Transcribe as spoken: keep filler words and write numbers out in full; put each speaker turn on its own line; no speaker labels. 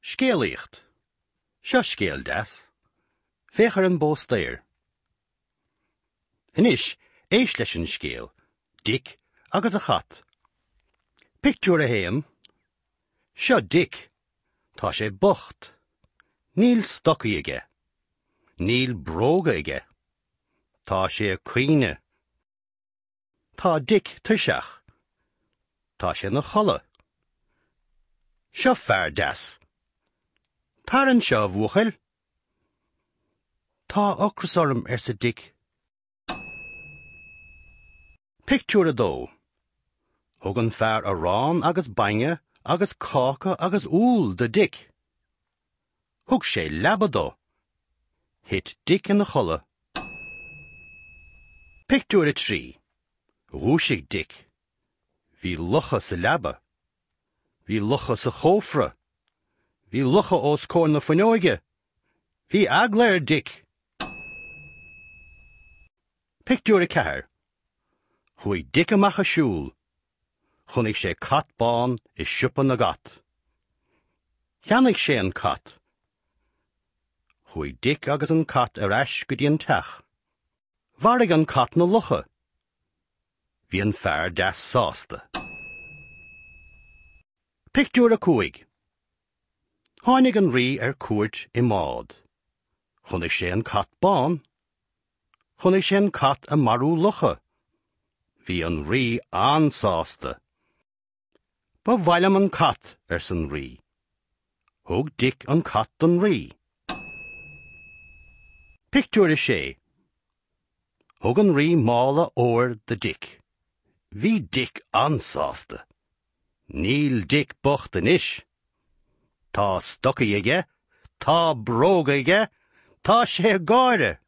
Scéalaíocht. Seo scéal deas. Féach ar an bpóstaer. Anois, éist leis an scéal, Dick agus a chat. Pictiúr a haon. Seo Dick. Tá sé bocht. Níl stocaí aige. Níl bróga aige. Tá sé ag caoineadh. Tá Dick tuirseach. Tá sé ina chodladh. Seo fear deas. Tar anseo, a bhuachaill. Tá ocras orm, arsa Dick. Pictiúr a dó. Thug an fear arán agus bainne agus cáca agus úll do Dick. Thug sé leaba dó. Thit Dick ina chodladh. Pictiúr a trí. Dhúisigh Dick. Bhí lucha sa leaba. Bhí lucha sa chófra. Bhí lucha os comhair na fuinneoige. Bhí eagla ar Dick. Pictiúr a ceathair. Chuaigh Dick amach ag siúl. Chonaic sé cat bán i siopa na gcat. Cheannaigh sé an cat. Chuaigh Dick agus an cat ar ais go dtí an teach. Mharaigh an cat na lucha. Bhí an fear deas sásta. Pictiúr a cúig. Tháinig an rí ar cuairt i mbád. Chonaic sé an cat bán. Chonaic sé an cat ag marú lucha. Bhí an rí an-sásta. Ba mhaith liom an cat, arsa an rí. Thug Dick an cat don rí. Pictiúr a sé. Thug an rí mála óir do Dick. Bhí Dick an-sásta. Níl Dick bocht anois. Tá stocaí aige, tá bróga aige, tá sé ag gáire.